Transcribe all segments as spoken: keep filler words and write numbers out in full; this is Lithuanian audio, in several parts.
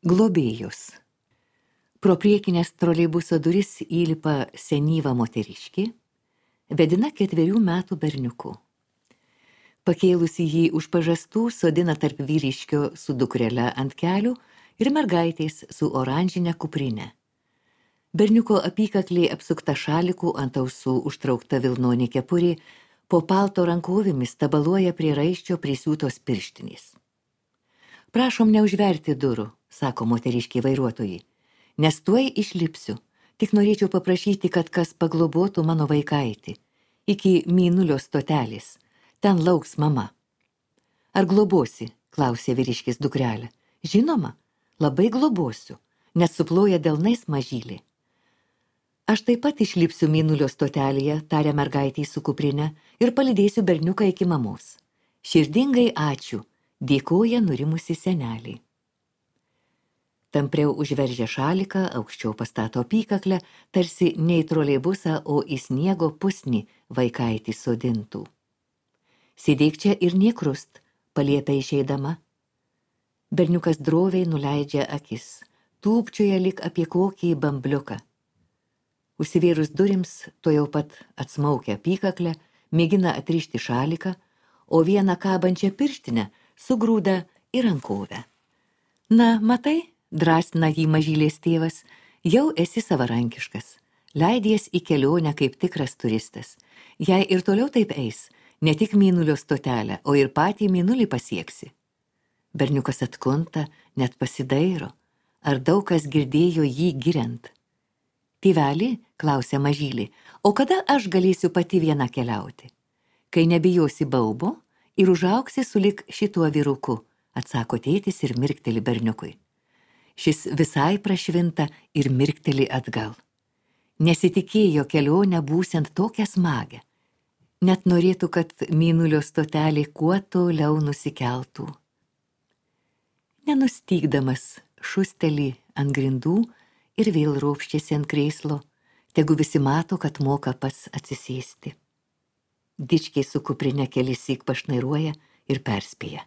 Globėjus. Pro priekinės troleibuso duris įlipa senyva moteriškė, vedina ketverių metų berniuku. Pakėlusi jį už pažastų, sodina tarp vyriškio su dukrele ant kelių ir mergaitės su oranžinė kuprinė. Berniuko apykaklė apsukta šalikų, ant ausų užtraukta vilnonė kepurė, po palto rankovėmis tabaluoja prie raiščio prisiūtos pirštinės. Prašom neužverti durų, sako moteriškė vairuotojai, nes tuoj išlipsiu, tik norėčiau paprašyti, kad kas paglobotų mano vaikaitį, iki Mėnulio stotelės, ten lauks mama. Ar globosi, klausė vyriškis dukrelė. Žinoma, labai globosiu, net suploja delnais mažylį. Aš taip pat išlipsiu Mėnulio stotelėje, tarė mergaitė su kuprinė, ir palydėsiu berniuką iki mamos. Širdingai ačiū, dėkoja nurimusi senelį. Tampriau užveržia šaliką, aukščiau pastato apykaklę, tarsi ne į troleibusą, o į sniego pusnį vaikaitį sodintų. Sėdėk čia ir niekrust, paliepia išeidama. Berniukas droviai nuleidžia akis, tūpčioja lyg apie kokį bambliuką. Užsivėrus durims, to jau pat atsmaukia apykaklę, mėgina atrišti šaliką, o vieną kabančią pirštinę sugrūda į rankovę. Na, matai, drąsina jį mažylės tėvas, jau esi savarankiškas, leidies į kelionę kaip tikras turistas. Jei ir toliau taip eis, ne tik Mėnulio stotelę, o ir patį Mėnulį pasieksi. Berniukas atkunta, net pasidairo, ar daug kas girdėjo jį giriant. Tėvelį, klausia mažylį, o kada aš galėsiu pati viena keliauti? Kai nebijosi baubo ir užauksi sulik šituo vyruku, atsako tėtis ir mirkteli berniukui. Šis visai prašvinta ir mirkteli atgal. Nesitikėjo kelionę būsiant tokią smagę. Net norėtų, kad Mėnulio stotelė kuo toliau nusikeltų. Nenustygdamas šustelį ant grindų ir vėl ropščiasi ant krėslo, tegu visi mato, kad moka pats atsisėsti. Dičkiai su kuprinė kelissyk pašnairuoja ir perspėja.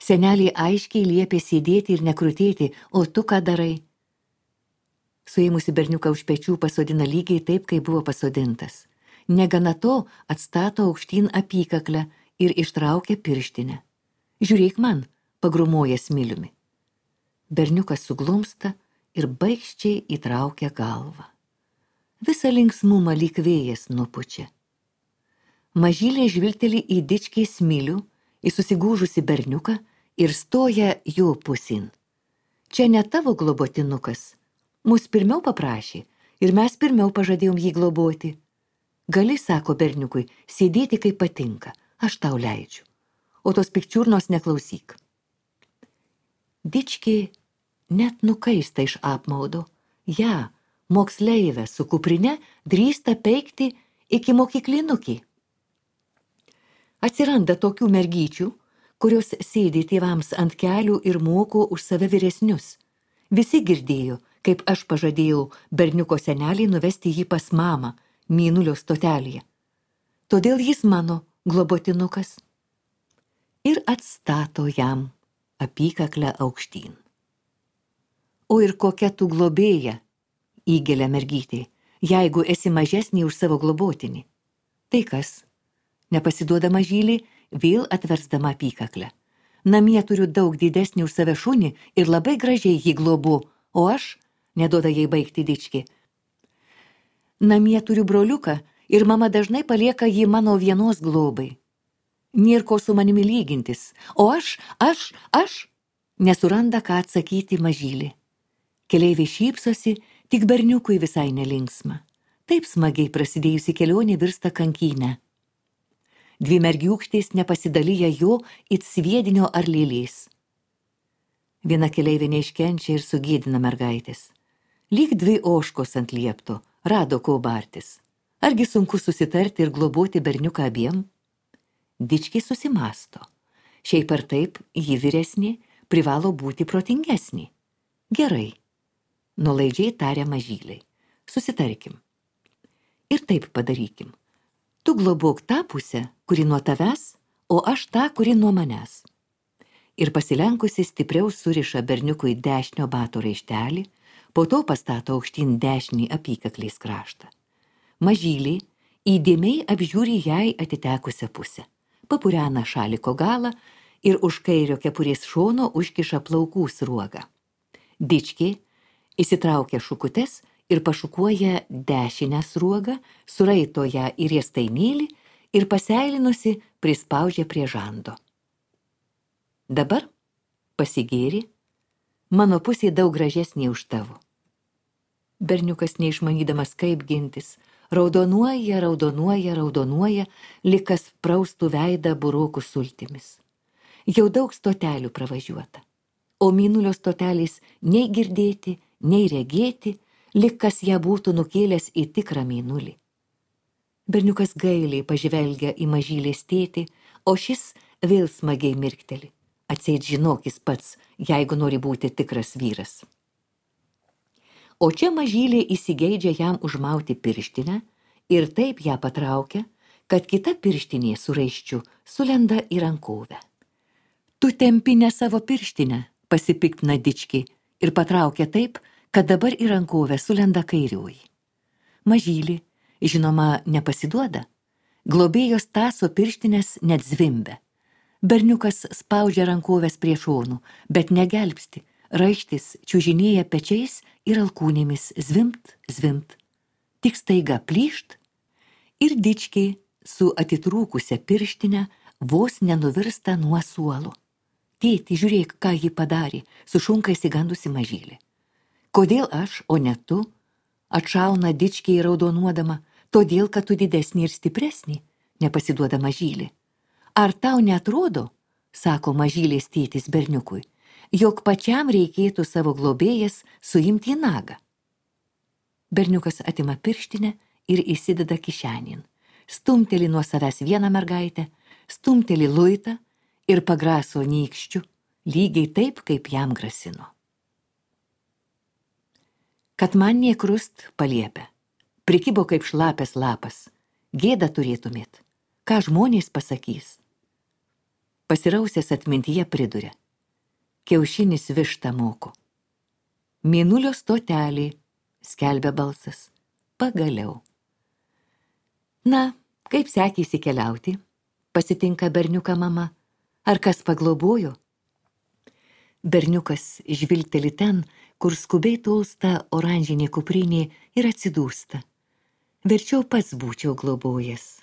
Senelį aiškiai liepė sėdėti ir nekrutėti, o tu ką darai? Suėmusi berniuką už pečių pasodina lygiai taip, kaip buvo pasodintas. Negana to atstato aukštyn apykaklę ir ištraukia pirštinę. Žiūrėk man, pagrumoja smiliumi. Berniukas suglumsta ir baikščiai įtraukia galvą. Visą linksmumą lyg vėjas nupučia. Mažylė žvilgteli į dičkį smilių, į susigūžusi berniuką ir stoja jo pusin. Čia ne tavo globotinukas. Mus pirmiau paprašė ir mes pirmiau pažadėjom jį globoti. Gali, sako berniukui, sėdėti kaip patinka, aš tau leidžiu, o tos pikčiurnos neklausyk. Dičkį net nukaista iš apmaudo. Ja, moksleivę su kuprine drįsta peikti iki mokyklinukį. Atsiranda tokių mergyčių, kurios sėdi tėvams ant kelių ir moko už save vyresnius. Visi girdėjo, kaip aš pažadėjau berniuko senelį nuvesti jį pas mamą Mėnulio stotelėje. Todėl jis mano globotinukas. Ir atstato jam apykaklę aukštyn. O ir kokia tu globėja, įgelia mergytė, jeigu esi mažesnė už savo globotinį. Tai kas? Nepasiduoda mažylį, vėl atversdama apykaklę. Namie turiu daug didesnį už save šunį ir labai gražiai jį globu, o aš, neduoda jai baigti dičkį. Namie turiu broliuką ir mama dažnai palieka jį mano vienos globai. Nėr ko su manimi lygintis, o aš, aš, aš, nesuranda ką atsakyti mažylį. Keleiviai šypsosi, tik berniukui visai nelinksma. Taip smagiai prasidėjusi kelionė virsta kankynę. Dvi mergiūkštės nepasidalyja jo it sviedinio ar lėlės. Viena keleivė neiškenčia ir sugėdina mergaitės. Lyg dvi ožkos ant liepto, rado ko bartis. Argi sunku susitarti ir globoti berniuką abiem? Dičkiai susimasto. Šiaip ar taip, ji vyresnė, privalo būti protingesnė. Gerai, nuolaidžiai taria mažyliai. Susitarkim. Ir taip padarykim. Tu globok tą pusę, kuri nuo tavęs, o aš tą, kuri nuo manęs. ir pasilenkusi stipriau suriša berniukui dešinio bato raištelį, po to pastato aukštyn dešinį apykaklės kraštą. Mažylį įdėmiai apžiūri jai atitekusią pusę, papurena šaliko galą ir už kairio kepurės šono užkiša plaukų sruogą. Dičkė įsitraukia šukutes ir pašukuoja dešinę sruogą, suraito ją į riestainėlį ir paseilinusi prispaudžia prie žando. Dabar pasigėri, mano pusė daug gražesnė už tavo. Berniukas neišmanydamas kaip gintis, raudonuoja, raudonuoja, raudonuoja, lyg kas praustų veidą burokų sultimis. Jau daug stotelių pravažiuota, o mėnulio stotelės nei girdėti, nei regėti, lyg kas ją būtų nukėlęs į tikrą mėnulį. Berniukas gailiai pažvelgia į mažylės tėtį, o šis vėl smagiai mirkteli. Atseit žinokis pats, jeigu nori būti tikras vyras. O čia mažylė įsigeidžia jam užmauti pirštinę ir taip ją patraukia, kad kita pirštinė su raiščiu sulenda į rankovę. Tu tempi ne savo pirštinę, pasipiktina Dičkė ir patraukia taip, kad dabar į rankovę sulenda kairioji. Mažylė, žinoma, nepasiduoda. Globėjos Taso pirštinės net zvimbia. Berniukas spaudžia rankovės prie šonų, bet negelbsti, raištis čiužinėja pečiais ir alkūnėmis zvimbt, zvimbt. Tik staiga plyšt ir Dičkė su atitrūkusia pirštinė vos nenuvirsta nuo suolo. Tėti, žiūrėk, ką ji padarė, sušunka įsigandusi mažylė. Kodėl aš, o ne tu? Atšauna Dičkė raudonuodama, todėl, kad tu didesnį ir stipresnį, nepasiduoda mažylė. Ar tau neatrodo, sako mažylės tėtis berniukui, jog pačiam reikėtų savo globėjas suimti į nagą? Berniukas atima pirštinę ir įsideda kišenin, stumteli nuo savęs vieną mergaitę, stumteli luitą ir pagraso nykščiu, lygiai taip, kaip jam grasino. Kad man niekrust paliepia, prikibo kaip šlapės lapas, gėda turėtumėt, ką žmonės pasakys. Pasirausęs atmintyje priduria, kiaušinis vištą moko. Mėnulio stotelė, skelbia balsas, pagaliau. Na, kaip sekėsi keliauti, pasitinka berniuką mama, ar kas paglobojo? Berniukas žvilgteli ten, kur skubiai tolsta oranžinė kuprinė ir atsidūsta. Verčiau pats būčiau globojęs.